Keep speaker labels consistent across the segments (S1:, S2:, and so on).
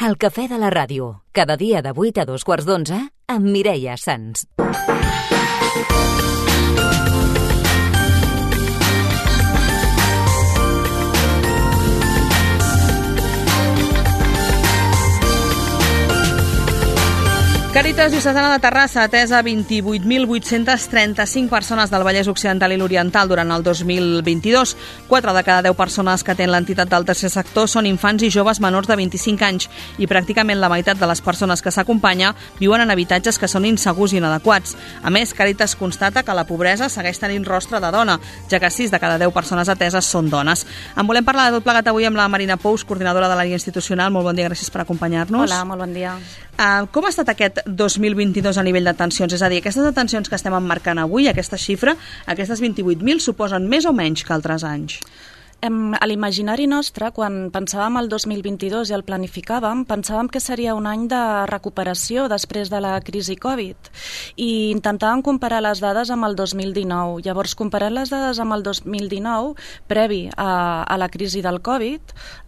S1: El cafè de la ràdio, cada dia de 8 a 2:15 amb Mireia Sans.
S2: Càritas Diocesana de Terrassa ha atès a 28.835 persones del Vallès Occidental i l'Oriental durant el 2022. 4 de cada 10 persones que atén l'entitat del tercer sector són infants i joves menors de 25 anys i pràcticament la meitat de les persones que s'acompanya viuen en habitatges que són insegurs i inadequats. A més, Càritas constata que la pobresa segueix tenint rostre de dona, ja que 6 de cada 10 persones ateses són dones. En volem parlar de tot plegat avui amb la Marina Pous, coordinadora de l'àrea institucional. Molt bon dia, gràcies per acompanyar-nos.
S3: Hola, molt bon dia.
S2: Com ha estat aquest 2022 a nivell d'atencions? És a dir, aquestes atencions que estem emmarcant avui, aquesta xifra, aquestes 28.000, suposen més o menys que altres anys?
S3: A l'imaginari nostre, quan pensàvem el 2022 i el planificàvem, pensàvem que seria un any de recuperació després de la crisi Covid i intentàvem comparar les dades amb el 2019. Llavors, comparant les dades amb el 2019, previ a la crisi del Covid,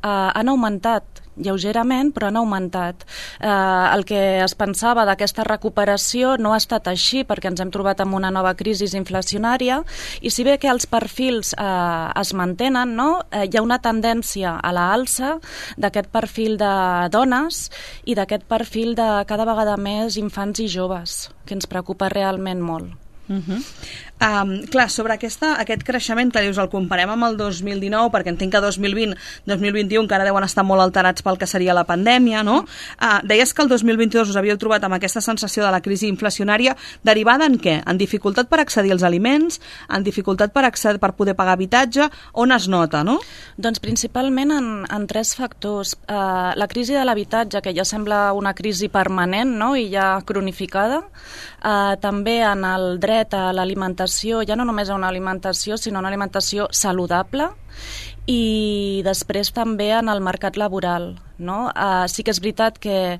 S3: han augmentat lleugerament, però han augmentat. El que es pensava d'aquesta recuperació no ha estat així, perquè ens hem trobat amb una nova crisi inflacionària, i si bé que els perfils es mantenen, no? Hi ha una tendència a la alça d'aquest perfil de dones i d'aquest perfil de cada vegada més infants i joves, que ens preocupa realment molt.
S2: Clar, sobre aquest creixement que dius, el comparem amb el 2019, perquè entenc que 2020, 2021 encara deuen estar molt alterats pel que seria la pandèmia, no? Deies que el 2022 us havíeu trobat amb aquesta sensació de la crisi inflacionària, derivada en què? En dificultat per accedir als aliments, en dificultat per poder pagar habitatge, on es nota, no?
S3: Doncs principalment en 3 factors. La crisi de l'habitatge, que ja sembla una crisi permanent, no? I ja cronificada. També en el dret a l'alimentació, ja no només a una alimentació, sinó una alimentació saludable, i després també en el mercat laboral, no? Sí que és veritat que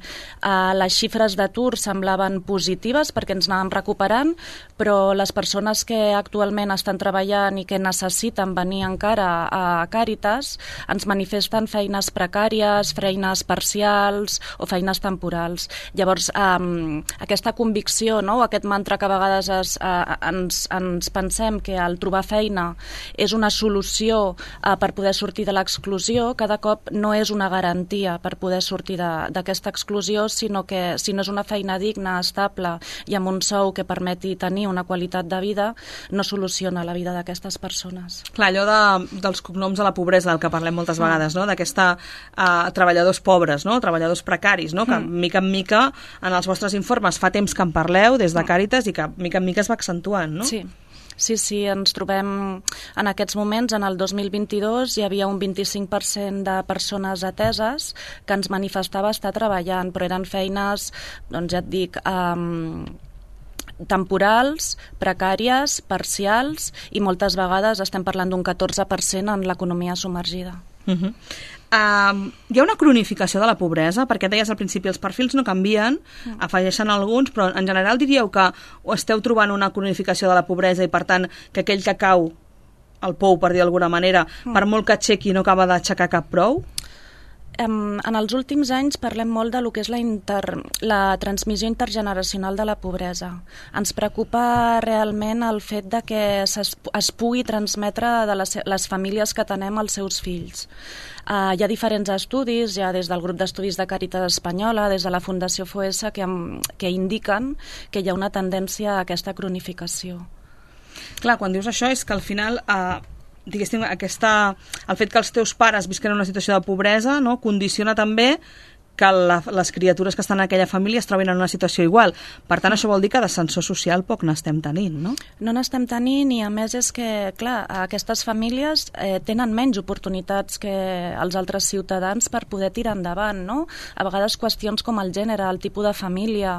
S3: les xifres d'atur semblaven positives perquè ens anàvem recuperant, però les persones que actualment estan treballant i que necessiten venir encara a Càritas ens manifesten feines precàries, feines parcials o feines temporals. Llavors, aquesta convicció, no? Aquest mantra que a vegades ens pensem que el trobar feina és una solució per poder sortir de l'exclusió, cada cop no és una garantia per poder sortir d'aquesta exclusió, sinó que si no és una feina digna, estable i amb un sou que permeti tenir una qualitat de vida, no soluciona la vida d'aquestes persones.
S2: Clar, allò dels cognoms de la pobresa, del que parlem moltes vegades, no? D'aquesta treballadors pobres, no? Treballadors precaris, no? Que mica en mica en els vostres informes fa temps que en parleu des de Càritas i que mica en mica es va accentuant, no?
S3: Sí, ens trobem en aquests moments, en el 2022 hi havia un 25% de persones ateses que ens manifestava estar treballant, però eren feines, doncs ja et dic, temporals, precàries, parcials, i moltes vegades estem parlant d'un 14% en l'economia submergida.
S2: Hi ha una cronificació de la pobresa, perquè deies al principi els perfils no canvien, afegeixen alguns, però en general diríeu que esteu trobant una cronificació de la pobresa i per tant que aquell que cau al pou, per dir d'alguna manera, per molt que aixequi no acaba d'aixecar cap prou?
S3: En els últims anys parlem molt de lo que és la transmissió intergeneracional de la pobresa. Ens preocupa realment el fet de que es pugui transmetre de les famílies que tenem als seus fills. Hi ha diferents estudis, ja des del grup d'estudis de Càritas Espanyola, des de la Fundació FOESA, que indiquen que hi ha una tendència a aquesta cronificació.
S2: Clar, quan dius això és que al final diguéssim, el fet que els teus pares visquen en una situació de pobresa, no, condiciona també que les criatures que estan en aquella família es trobin en una situació igual. Per tant, això vol dir que d'ascensor social poc n'estem tenint, no?
S3: No n'estem tenint, i a més és que, clar, aquestes famílies tenen menys oportunitats que els altres ciutadans per poder tirar endavant, no? A vegades qüestions com el gènere, el tipus de família,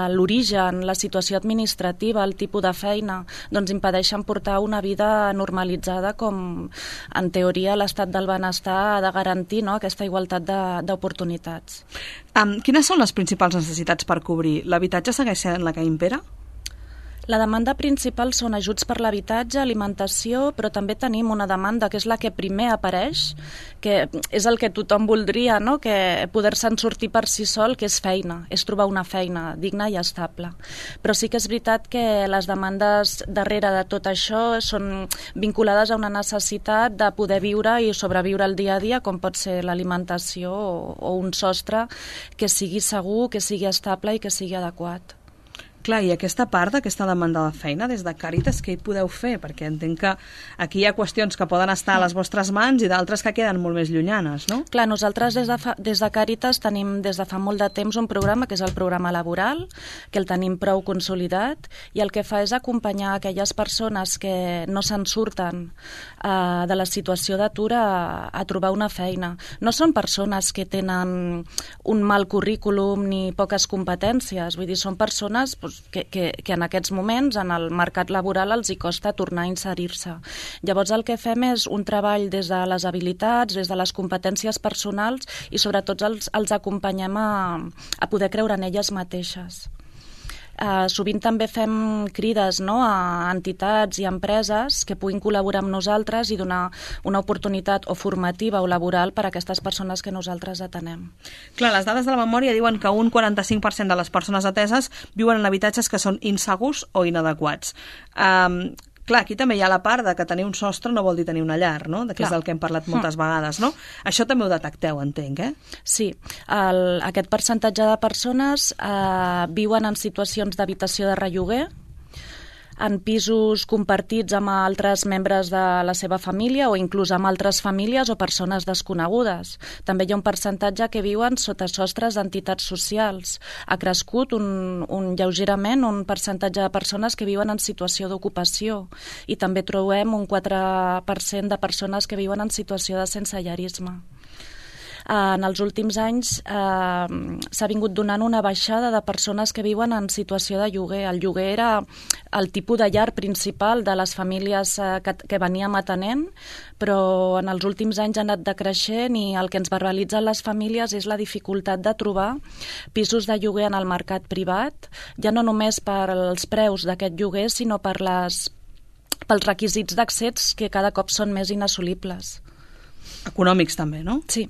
S3: l'origen, la situació administrativa, el tipus de feina, doncs impedeixen portar una vida normalitzada com, en teoria, l'estat del benestar ha de garantir, no?, aquesta igualtat d'oportunitats.
S2: Quines són les principals necessitats per cobrir? L'habitatge segueix sent la que impera?
S3: La demanda principal són ajuts per l'habitatge, alimentació, però també tenim una demanda que és la que primer apareix, que és el que tothom voldria, no? Que poder-se'n sortir per si sol, que és feina, és trobar una feina digna i estable. Però sí que és veritat que les demandes darrere de tot això són vinculades a una necessitat de poder viure i sobreviure el dia a dia, com pot ser l'alimentació o un sostre que sigui segur, que sigui estable i que sigui adequat.
S2: Clar, i aquesta part d'aquesta demanda de feina, des de Càritas, què hi podeu fer? Perquè entenc que aquí hi ha qüestions que poden estar a les vostres mans i d'altres que queden molt més llunyanes, no?
S3: Clar, nosaltres des de Càritas tenim des de fa molt de temps un programa que és el programa laboral, que el tenim prou consolidat, i el que fa és acompanyar aquelles persones que no se'n surten de la situació d'atur a trobar una feina. No són persones que tenen un mal currículum ni poques competències, vull dir, són persones que en aquests moments en el mercat laboral els hi costa tornar a inserir-se. Llavors el que fem és un treball des de les habilitats, des de les competències personals i sobretot els acompanyem a poder creure en elles mateixes. Sovint també fem crides, no?, a entitats i empreses que puguin col·laborar amb nosaltres i donar una oportunitat o formativa o laboral per a aquestes persones que nosaltres atenem.
S2: Clar, les dades de la memòria diuen que un 45% de les persones ateses viuen en habitatges que són insegurs o inadequats. Clar, aquí també hi ha la part de que tenir un sostre no vol dir tenir una llar, no? Que és del que hem parlat moltes vegades, no? Això també ho detecteu, entenc, eh?
S3: Sí, aquest percentatge de persones viuen en situacions d'habitació de relloguer, en pisos compartits amb altres membres de la seva família o inclús amb altres famílies o persones desconegudes. També hi ha un percentatge que viuen sota sostres d'entitats socials. Ha crescut lleugerament un percentatge de persones que viuen en situació d'ocupació i també trobem un 4% de persones que viuen en situació de sensellarisme. En els últims anys s'ha vingut donant una baixada de persones que viuen en situació de lloguer. El lloguer era el tipus de llar principal de les famílies que veníem atenent, però en els últims anys ha anat decreixent i el que ens verbalitzen les famílies és la dificultat de trobar pisos de lloguer en el mercat privat, ja no només per als preus d'aquest lloguer, sinó pels requisits d'accés que cada cop són més inassolibles.
S2: Econòmics també, no?
S3: Sí.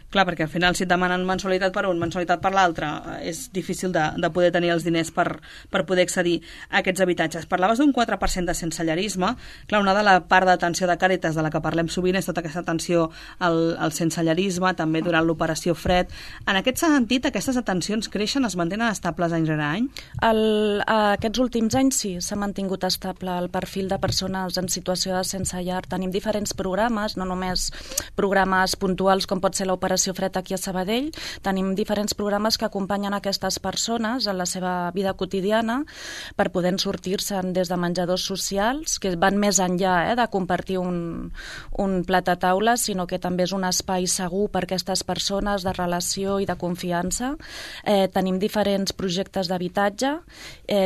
S2: Clar, perquè al final si et demanen mensualitat per un, mensualitat per l'altre, és difícil de poder tenir els diners per poder accedir a aquests habitatges. Parlaves d'un 4% de sensellarisme. Clar, una de la part d'atenció de Càritas de la que parlem sovint és tota aquesta atenció al sensellarisme, també durant l'operació Fred. En aquest sentit, aquestes atencions creixen, es mantenen estables any rere any?
S3: Aquests últims anys sí, s'ha mantingut estable el perfil de persones en situació de sense llar. Tenim diferents programes, no només programes puntuals com pot ser l'operació Fred aquí a Sabadell, tenim diferents programes que acompanyen aquestes persones en la seva vida quotidiana per poder sortir-se'n des de menjadors socials, que van més enllà de compartir un plat a taula, sinó que també és un espai segur per a aquestes persones de relació i de confiança. Tenim diferents projectes d'habitatge,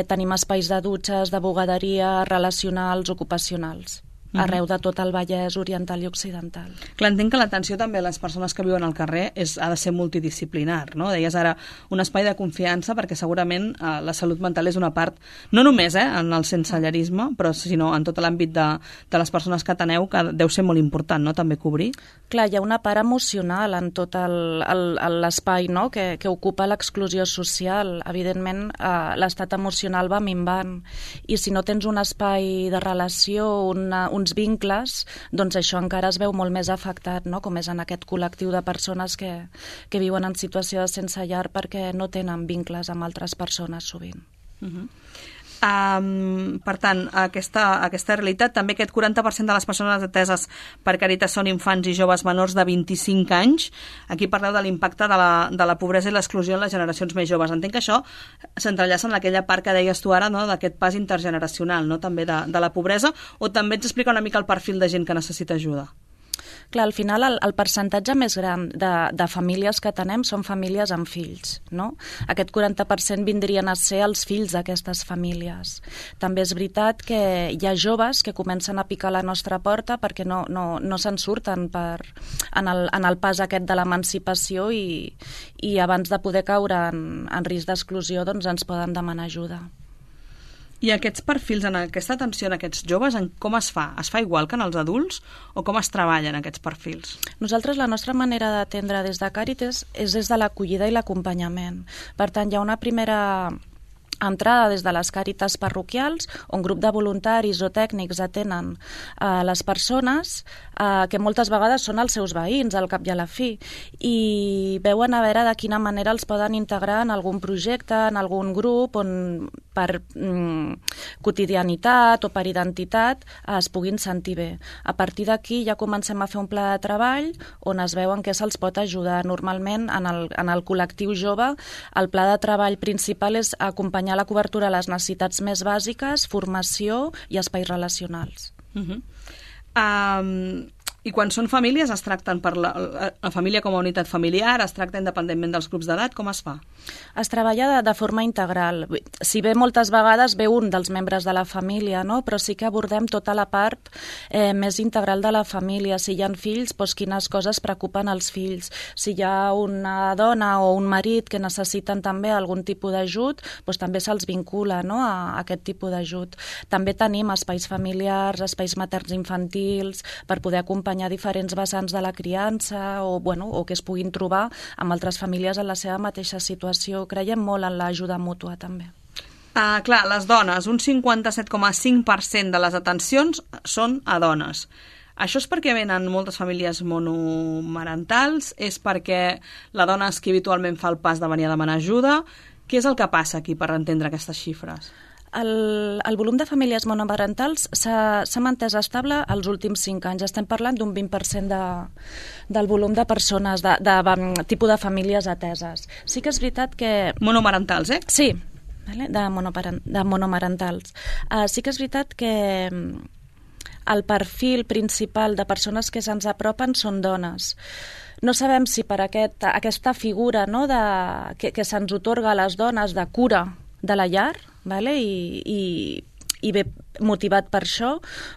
S3: tenim espais de dutxes, de bugaderia, relacionals, ocupacionals, arreu de tot el Vallès Oriental i Occidental.
S2: Clar, entenc que l'atenció també a les persones que viuen al carrer ha de ser multidisciplinar, no? Deies ara un espai de confiança perquè segurament la salut mental és una part, no només en el sensellarisme, però sinó en tot l'àmbit de les persones que ateneu, que deu ser molt important, no?, també cobrir.
S3: Clar, hi ha una part emocional en tot l'espai, no?, que ocupa l'exclusió social. Evidentment, l'estat emocional va minvant i si no tens un espai de relació, uns vincles, doncs això encara es veu molt més afectat, no?, com és en aquest col·lectiu de persones que viuen en situació de sense llar perquè no tenen vincles amb altres persones sovint.
S2: Per tant, aquesta realitat, també aquest 40% de les persones ateses per Càritas són infants i joves menors de 25 anys. Aquí parleu de l'impacte de la pobresa i l'exclusió en les generacions més joves. Entenc que això s'entrellaça en aquella part que deies tu ara, no?, d'aquest pas intergeneracional, no?, també de la pobresa, o també ens explica una mica el perfil de gent que necessita ajuda?
S3: Clar, al final el percentatge més gran de famílies que tenem són famílies amb fills, no? Aquest 40% vindrien a ser els fills d'aquestes famílies. També és veritat que hi ha joves que comencen a picar a la nostra porta perquè no se'n surten en el pas aquest de l'emancipació i abans de poder caure en risc d'exclusió doncs ens poden demanar ajuda.
S2: I aquests perfils, en aquesta atenció en aquests joves, com es fa? Es fa igual que en els adults o com es treballen aquests perfils?
S3: Nosaltres la nostra manera d'atendre des de Càritas és des de l'acollida i l'acompanyament. Per tant, hi ha una primera entrada des de les Càritas parroquials, on grup de voluntaris o tècnics atenen les persones que moltes vegades són els seus veïns, al cap i a la fi, i veuen a veure de quina manera els poden integrar en algun projecte, en algun grup, on per quotidianitat o per identitat es puguin sentir bé. A partir d'aquí ja comencem a fer un pla de treball on es veuen què se'ls pot ajudar. Normalment, en el col·lectiu jove, el pla de treball principal és acompanyar la cobertura a les necessitats més bàsiques, formació i espais relacionals.
S2: I quan són famílies es tracten per la família com a unitat familiar, es tracta independentment dels grups d'edat, com es fa?
S3: Es treballa de forma integral. Si bé moltes vegades ve un dels membres de la família, no? Però sí que abordem tota la part més integral de la família. Si hi ha fills, doncs quines coses preocupen els fills. Si hi ha una dona o un marit que necessiten també algun tipus d'ajut, doncs també se'ls vincula, no? a aquest tipus d'ajut. També tenim espais familiars, espais materns infantils, per poder acompanyar diferents vessants de la criança o que es puguin trobar amb altres famílies en la seva mateixa situació. Creiem molt en l'ajuda mútua, també.
S2: Clar, les dones, un 57,5% de les atencions són a dones. Això és perquè venen moltes famílies monomarentals? És perquè la dona és qui habitualment fa el pas de venir a demanar ajuda? Què és el que passa aquí per entendre aquestes xifres?
S3: El volum de famílies monomarentals s'ha mantès estable els últims 5 anys. Estem parlant d'un 20% del volum de persones, de tipus de famílies ateses. Sí que és veritat que...
S2: Monomarentals, eh?
S3: Sí, de monomarentals. Sí que és veritat que el perfil principal de persones que se'ns apropen són dones. No sabem si per aquesta figura, no, que se'ns otorga a les dones de cura de la llar, vale? I ve motivat per això,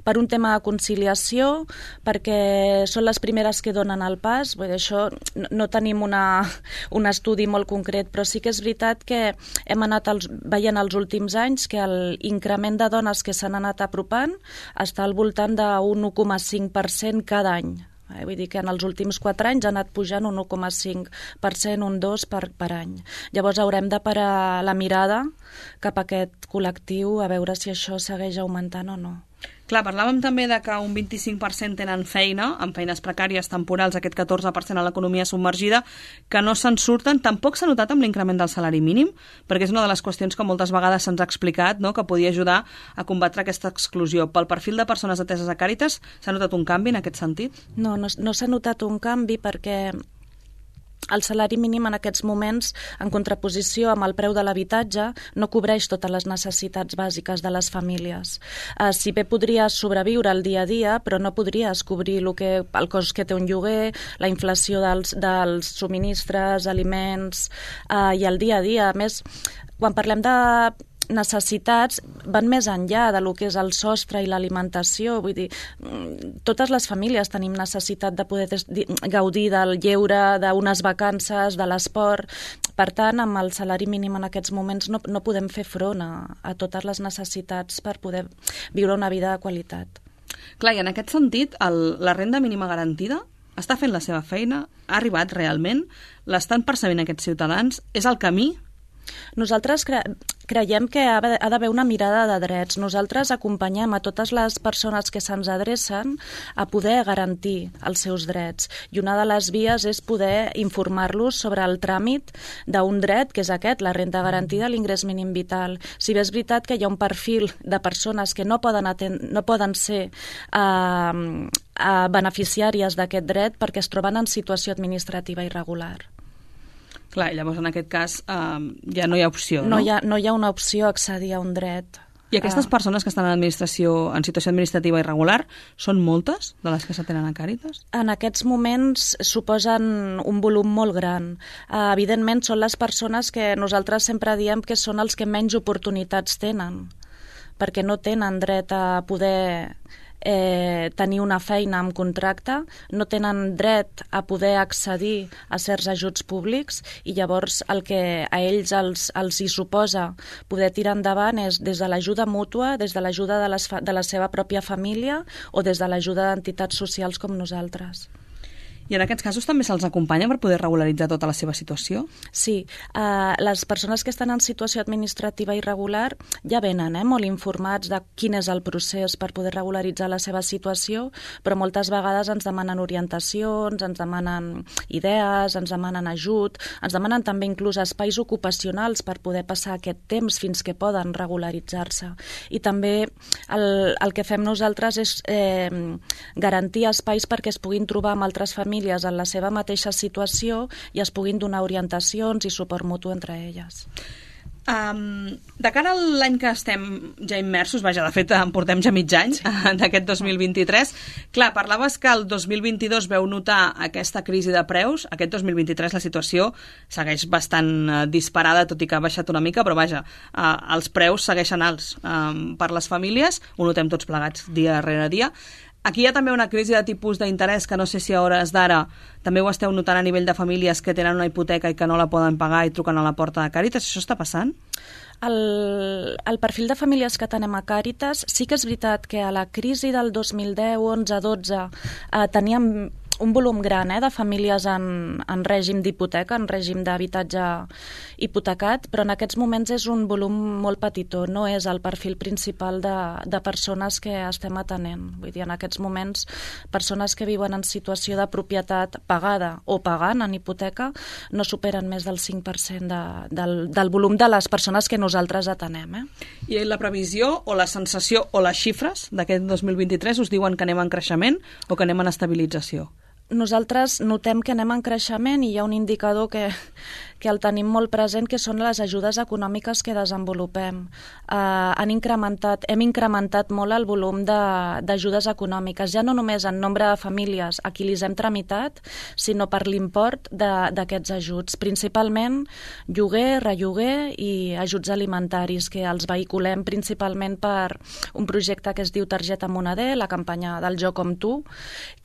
S3: per un tema de conciliació, perquè són les primeres que donen el pas. Vull dir, això no tenim un estudi molt concret, però sí que és veritat que hem anat veient els últims anys que l'increment de dones que s'han anat apropant està al voltant d'un 1,5% cada any. Vull dir que en els últims 4 anys ha anat pujant un 1,5%, un 2% per any. Llavors haurem de parar la mirada cap a aquest col·lectiu a veure si això segueix augmentant o no.
S2: Clar, parlàvem també de que un 25% tenen feina, amb feines precàries temporals, aquest 14% a l'economia submergida, que no se'n surten. Tampoc s'ha notat amb l'increment del salari mínim, perquè és una de les qüestions que moltes vegades se'ns ha explicat, no?, que podia ajudar a combatre aquesta exclusió. Pel perfil de persones ateses a Càritas, s'ha notat un canvi en aquest sentit?
S3: No s'ha notat un canvi perquè el salari mínim en aquests moments, en contraposició amb el preu de l'habitatge, no cobreix totes les necessitats bàsiques de les famílies. Si bé podries sobreviure el dia a dia, però no podries cobrir el cost que té un lloguer, la inflació dels subministres, aliments i el dia a dia. A més, quan parlem de necessitats van més enllà de lo que és el sostre i l'alimentació. Vull dir, totes les famílies tenim necessitat de poder gaudir del lleure, d'unes vacances, de l'esport. Per tant, amb el salari mínim en aquests moments no podem fer front a totes les necessitats per poder viure una vida de qualitat.
S2: Clar, i en aquest sentit, la renda mínima garantida està fent la seva feina? Ha arribat realment? L'estan percebent aquests ciutadans? És el camí?
S3: Nosaltres creiem que ha d'haver una mirada de drets. Nosaltres acompanyem a totes les persones que se'ns adrecen a poder garantir els seus drets. I una de les vies és poder informar-los sobre el tràmit d'un dret, que és aquest, la renda garantida, l'ingrés mínim vital. Si bé és veritat que hi ha un perfil de persones que no poden ser beneficiàries d'aquest dret perquè es troben en situació administrativa irregular.
S2: Clar, llavors en aquest cas ja no hi ha opció, no?
S3: No hi ha una opció a accedir a un dret.
S2: I aquestes persones que estan en situació administrativa irregular, són moltes de les que s'atenen a Càritas?
S3: En aquests moments suposen un volum molt gran. Evidentment són les persones que nosaltres sempre diem que són els que menys oportunitats tenen, perquè no tenen dret a poder tenir una feina amb contracte, no tenen dret a poder accedir a certs ajuts públics i llavors el que a ells els hi suposa poder tirar endavant és des de l'ajuda mútua, des de l'ajuda de la seva pròpia família o des de l'ajuda d'entitats socials com nosaltres.
S2: I en aquests casos també se'ls acompanya per poder regularitzar tota la seva situació?
S3: Sí, les persones que estan en situació administrativa irregular ja venen molt informats de quin és el procés per poder regularitzar la seva situació, però moltes vegades ens demanen orientacions, ens demanen idees, ens demanen ajut, ens demanen també inclús espais ocupacionals per poder passar aquest temps fins que poden regularitzar-se. I també el que fem nosaltres és garantir espais perquè es puguin trobar amb altres famílies en la seva mateixa situació i es puguin donar orientacions i suport mutu entre elles.
S2: De cara a l'any que estem ja immersos, de fet en portem ja mig any d'aquest 2023, clar, parlaves que el 2022 veu notar aquesta crisi de preus, aquest 2023 la situació segueix bastant disparada, tot i que ha baixat una mica, però els preus segueixen alts per les famílies, ho notem tots plegats dia rere dia. Aquí hi ha també una crisi de tipus d'interès que no sé si a hores d'ara també ho esteu notant a nivell de famílies que tenen una hipoteca i que no la poden pagar i truquen a la porta de Càritas. Això està passant?
S3: El perfil de famílies que tenem a Càritas sí que és veritat que a la crisi del 2010, 11, 12 teníem un volum gran de famílies en règim d'hipoteca, en règim d'habitatge hipotecat, però en aquests moments és un volum molt petitó, no és el perfil principal de persones que estem atenent. Vull dir, en aquests moments, persones que viuen en situació de propietat pagada o pagant en hipoteca no superen més del 5% del volum de les persones que nosaltres atenem.
S2: I la previsió o la sensació o les xifres d'aquest 2023 us diuen que anem en creixement o que anem en estabilització?
S3: Nosaltres notem que anem en creixement i hi ha un indicador que el tenim molt present, que són les ajudes econòmiques que desenvolupem. Hem incrementat molt el volum d'ajudes econòmiques, ja no només en nombre de famílies a qui les hem tramitat, sinó per l'import d'aquests ajuts. Principalment lloguer, relloguer i ajuts alimentaris, que els vehiculem principalment per un projecte que es diu Targeta Moneder, la campanya del Jo com tu,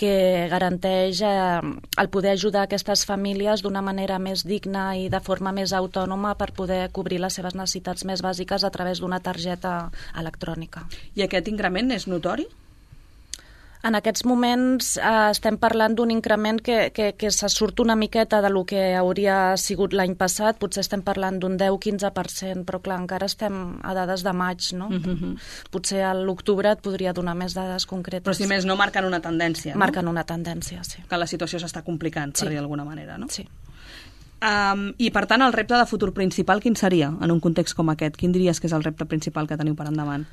S3: que garanteix el poder ajudar aquestes famílies d'una manera més digna i de forma més autònoma per poder cobrir les seves necessitats més bàsiques a través d'una targeta electrònica.
S2: I aquest increment és notori?
S3: En aquests moments estem parlant d'un increment que se surt una miqueta de lo que hauria sigut l'any passat, potser estem parlant d'un 10-15%, però clar, encara estem a dades de maig, no? Potser a l'octubre et podria donar més dades concretes.
S2: Però si més no marquen una tendència, no?
S3: Marquen una tendència, sí.
S2: Que la situació s'està complicant, per dir d'alguna manera, no?
S3: Sí.
S2: I per tant, el repte de futur principal quin seria en un context com aquest? Quin diries que és el repte principal que teniu per endavant?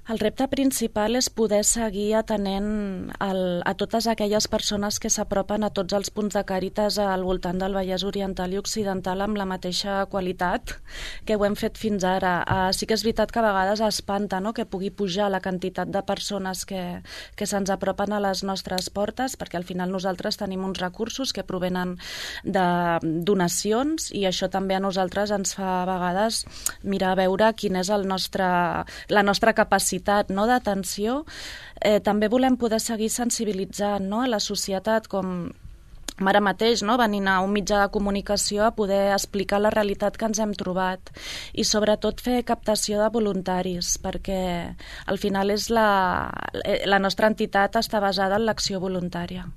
S3: El repte principal és poder seguir atenent a totes aquelles persones que s'apropen a tots els punts de Càritas al voltant del Vallès Oriental i Occidental amb la mateixa qualitat que ho hem fet fins ara. Sí que és veritat que a vegades espanta, no?, que pugui pujar la quantitat de persones que se'ns apropen a les nostres portes, perquè al final nosaltres tenim uns recursos que provenen de donacions i això també a nosaltres ens fa a vegades mirar a veure quina és la nostra capacitat d'atenció. També volem poder seguir sensibilitzant a la societat, com ara mateix, venint a un mitjà de comunicació a poder explicar la realitat que ens hem trobat i sobretot fer captació de voluntaris, perquè al final és la nostra entitat està basada en l'acció voluntària.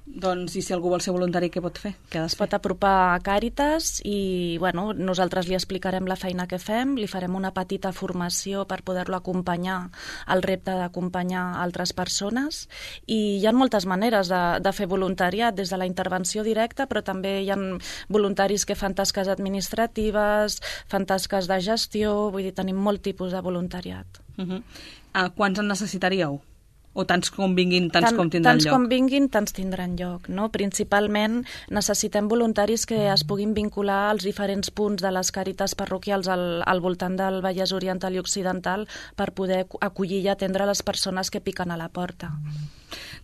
S2: Doncs, i si algú vol ser voluntari, què pot fer?
S3: Es pot apropar a Càritas i nosaltres li explicarem la feina que fem, li farem una petita formació per poder-lo acompanyar al repte d'acompanyar altres persones i hi ha moltes maneres de fer voluntariat, des de la intervenció directa, però també hi ha voluntaris que fan tasques administratives, fan tasques de gestió, vull dir, tenim molt tipus de voluntariat.
S2: Quants en necessitaríeu? O tants com vinguin, tants com tindran lloc?
S3: Tants com vinguin, tants tindran lloc, no? Principalment necessitem voluntaris que es puguin vincular als diferents punts de les Càritas parroquials al voltant del Vallès Oriental i Occidental per poder acollir i atendre les persones que piquen a la porta.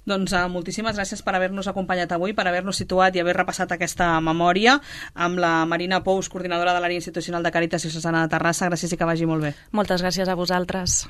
S2: Doncs moltíssimes gràcies per haver-nos acompanyat avui, per haver-nos situat i haver repassat aquesta memòria amb la Marina Pous, coordinadora de l'àrea institucional de Càritas Diocesana de Terrassa. Gràcies i que vagi molt bé.
S3: Moltes gràcies a vosaltres.